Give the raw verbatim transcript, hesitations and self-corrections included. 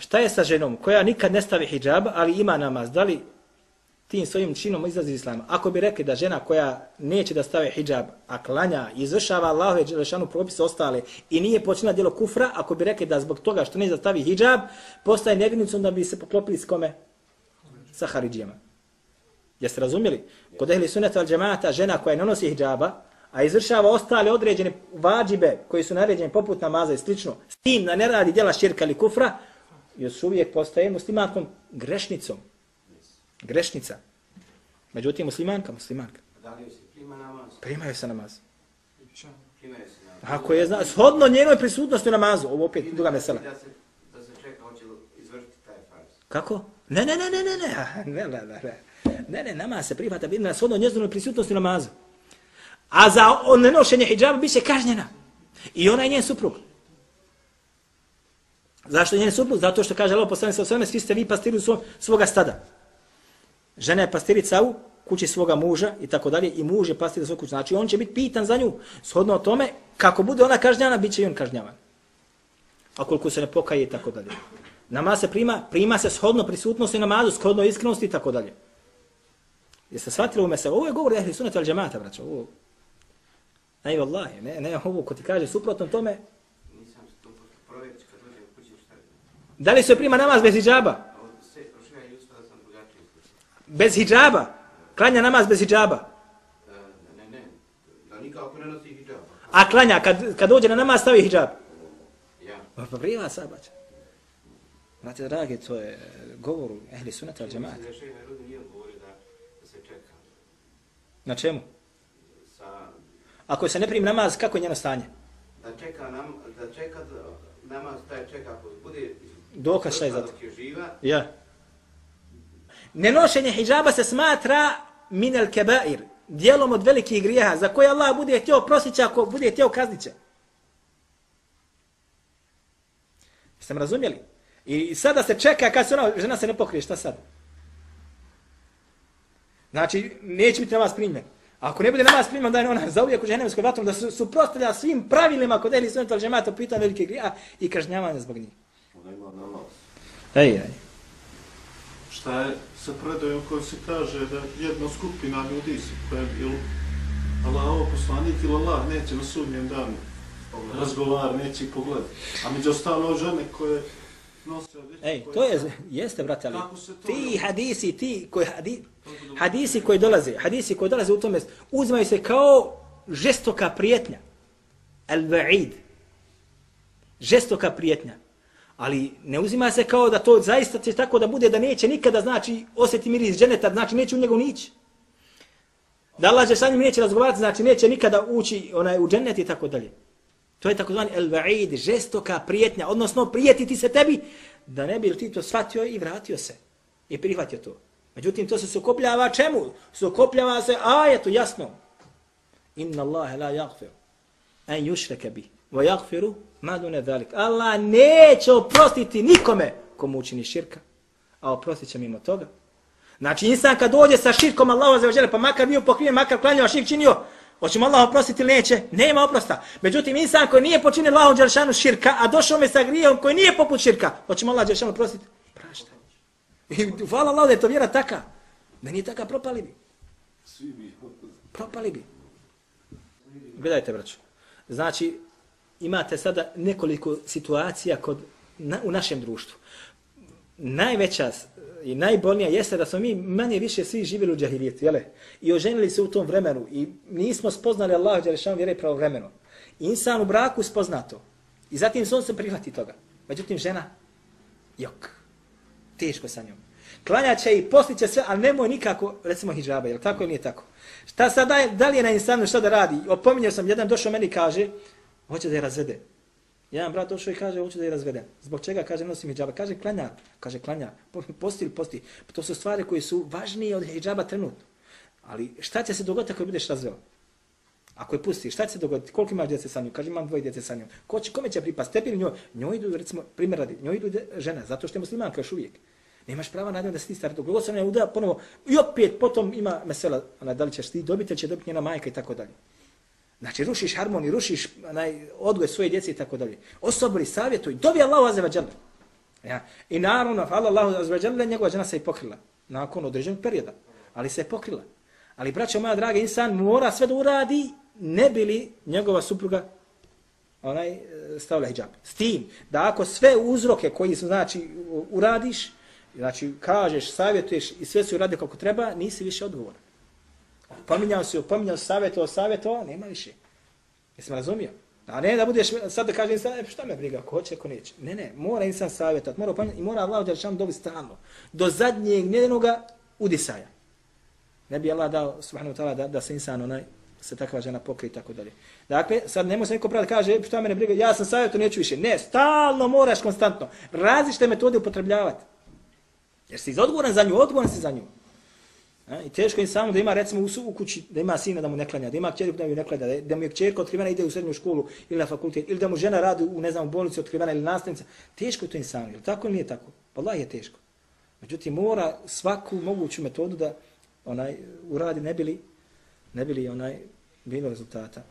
Šta je sa ženom koja nikad ne stavi hidžab, ali ima namaz? Da li tim svojim činom izlazi iz islama? Ako bi rekli da žena koja neće da stavi hidžab, a klanja, izvršava Allahove dželešanu propise ostale i nije počinila djelo kufra, ako bi rekli da zbog toga što neće da stavi hidžab, postaje nevjernicom, da bi se poklopili s kome? Sa haridžijama. Jeste razumjeli? Kod ehli sunneta al džemata žena koja ne nosi hidžaba, a izvršava ostale određene vađibe koji su naređeni poput namaza i slično, s tim da ne radi djela širka ili kufra, još uvijek postaje muslimankom grešnicom. Grešnica. Međutim, muslimanka, muslimanka. Da li se prima namaz? Primaju se namaz. Primaju se namaz. Ako je zna, shodno njenoj prisutnosti u namazu, ovo opet druga mesela. Da se, da se čeka, hoće izvršiti taj farz. Kako? Ne, ne, ne, ne, ne, ne, ne, ne, ne, ne, ne, ne, namaz se prihvata vidna shodno njezinoj prisutnosti u namazu. A za nenošenje hidžaba bit će kažnjena. I ona je njen suprug. Zašto je njen suprug? Zato što kaže Allah poslanik sallallahu alejhi ve sellem, svi ste vi pastiri svog, svoga stada. Žena je pastirica u kući svoga muža i tako dalje i muž je pastir svog kuća. Znači on će biti pitan za nju. Shodno o tome, kako bude ona kažnjavana, bit će i on kažnjavan. A koliko se ne pokaje i tako dalje. Namaz se prima, prima se shodno prisutnosti namazu, shodno iskrenosti i tako dalje. Jeste shvatili u meselu? Ovo je govor ehli sunneta al džemata, braćo. Ovo. Ne, vallahi, ne, ne, ovo ko ti kaže suprotno tome. Nisam se to provjeriti kad dođe u kući šta je. Da li se prima namaz bez hidžaba? Bez hidžaba? Klanja namaz bez hidžaba? Ne, ne, da nikako ne nosi hidžaba. A klanja, kad, kad dođe na namaz stavi hidžab? Ja. Pa prima sabaća. Znate, dragi, to je govor ehli sunneta al džemata. Mislim da šejh Nerudi nije odgovorio da, da se čeka. Na čemu? Sa... Ako se ne primi namaz, kako je njeno stanje? Da čeka, nam, da čeka namaz, taj čeka, ako bude... Dokaz šta je za to? Živa, ja. Nenošenje hidžaba se smatra minel kebair, dijelom od velikih grijeha, za koje Allah bude htio prositi, ako bude htio kaznit će. Jeste me razumjeli? I sada se čeka, kad se ona, žena se ne pokrije, šta sad? Znači, neće biti namaz primjen. Ako ne bude namaz primjen, da je ona zauvijek u džehennemskoj vatru, da su suprotstavlja svim pravilima kod ehli sunneta al džemata po pitanju velikih grijeha i kažnjavanja zbog njih. Ona ima namaz. Ej, ej. Šta je sa predajom koji se kaže da jedna skupina ljudi se koja je bilo Allahov poslanik ili Allah neće na sudnjem danu razgovar, neće ih pogledati. A među ostalo žene koje nose... Ej, koje to je, jeste, brate, ali ti je? hadisi, ti koji, hadi, hadisi koji dolaze, hadisi koji dolaze u tome, uzmaju se kao žestoka prijetnja. Al-va'id. Žestoka prijetnja. Ali ne uzima se kao da to zaista će tako da bude da neće nikada, znači, osjeti miris dženeta, znači neće u njega nići. Da Allah će sa njim neće razgovarati, znači neće nikada ući onaj, u dženet i tako dalje. To je takozvani el-va'id, žestoka prijetnja, odnosno prijetiti se tebi, da ne bi ti to shvatio i vratio se. I prihvatio to. Međutim, to se sukopljava čemu? Sukopljava se ajetu, jasno. Inna Allahe la yaghfir an yushraka bih, wa yaghfiru ma dune zalik. Allah neće oprostiti nikome komu učini širka, a oprostit će mimo toga. Znači, insan kad dođe sa širkom Allahu azza wa dželle, pa makar bio pokriven, makar klanjao, širk činio, hoće mu Allah oprostiti ili neće? Nema oprosta. Međutim, insan koji nije počinio Allahu dželešanu širka, a došao mi sa grijehom koji nije poput širka, hoće mu Allah dželešanu oprostiti? Prašta. I hvala Allah da je to vjera taka. Da nije taka, propali bi. Svi bi. Propali bi. Gledajte, braću. Znači, imate sada nekoliko situacija kod, na, u našem društvu. Najveća i najbolnija jeste da smo mi manje više svi živjeli u džahilijetu, jele? I oženili se u tom vremenu i nismo spoznali Allahu dželešanu vjere pravovremeno. Insan u braku spozna to. I zatim se on se prihvati toga. Međutim, žena, jok, teško sa njom. Klanjaće i postiće sve, ali nemoj nikako, recimo, hidžaba, jel tako ili nije tako? Šta sad daje, da li je na insanu šta da radi? Opominjao sam, jedan došao meni kaže, hoće da je razvede. Jedan brat došao i kaže, hoće da je razvede. Zbog čega? Kaže, nosim hidžaba. Kaže, klanja. Kaže, klanja. Posti ili posti. To su stvari koje su važnije od hidžaba trenutno. Ali šta će se dogoditi ako budeš razveo? Ako je pusti, šta će se dogoditi? Koliko imaš djece sa njom? Kaže, imam dvoje djece sa njom. Ko će, kome će pripast? Tebi ili njoj? Njoj idu, recimo, primjer radi, njoj idu žena, zato što je muslimanka još uvijek. Nemaš prava na njom da se ti stari. Dok god se ne uda, ponovo, i opet potom ima mesela, ona, da li ćeš ti dobiti, ili će dobiti njena majka i tako dalje. Znači, rušiš harmoniju, rušiš onaj, odgoj svoje djece i tako dalje. Osobri, savjetuj, dobi Allahu azza wa dželle. Ja. I naravno, hvala Allahu azza wa jalla, njegova žena se i pokrila nakon određenog perioda, ali se je pokrila. Ali, braćo moja draga, insan mora sve da uradi, ne bi li njegova supruga onaj stavila hidžab. S tim, da ako sve uzroke koji su, znači, uradiš, znači, kažeš, savjetuješ i sve su uradi kako treba, nisi više odgovoran. Pominjao si, pominjao si, savjetovao, savjetovao, nema više. Jesi me razumio? A ne da budeš, sad da kaže insan, e, šta me briga, ko hoće, ko neće. Ne, ne, mora insan savjetovati, mora pominjati i mora Allah Đelešanu dobiti stalno. Do zadnjeg njenoga udisaja. Ne bi Allah dao, subhanahu wa ta'ala, da, da se insan onaj, se takva žena pokrije i tako dalje. Dakle, sad ne može neko praviti, kaže, šta mene briga, ja sam savjeto, neću više. Ne, stalno moraš konstantno različite metode upotrebljavati. Jer si odgovoran za nju, odgovoran si za nju. A, i teško je samo da ima, recimo, u, u kući, da ima sina da mu ne klanja, da ima kćerku da mu ne klanja, da, da mu je kćerka otkrivena ide u srednju školu ili na fakultet, ili da mu žena radi u, ne znam, u bolnici otkrivena ili nastavnica. Teško je to insanu, je li tako ili nije tako? Wallahi je teško. Međutim, mora svaku moguću metodu da onaj uradi, ne bili, ne bili onaj bilo rezultata.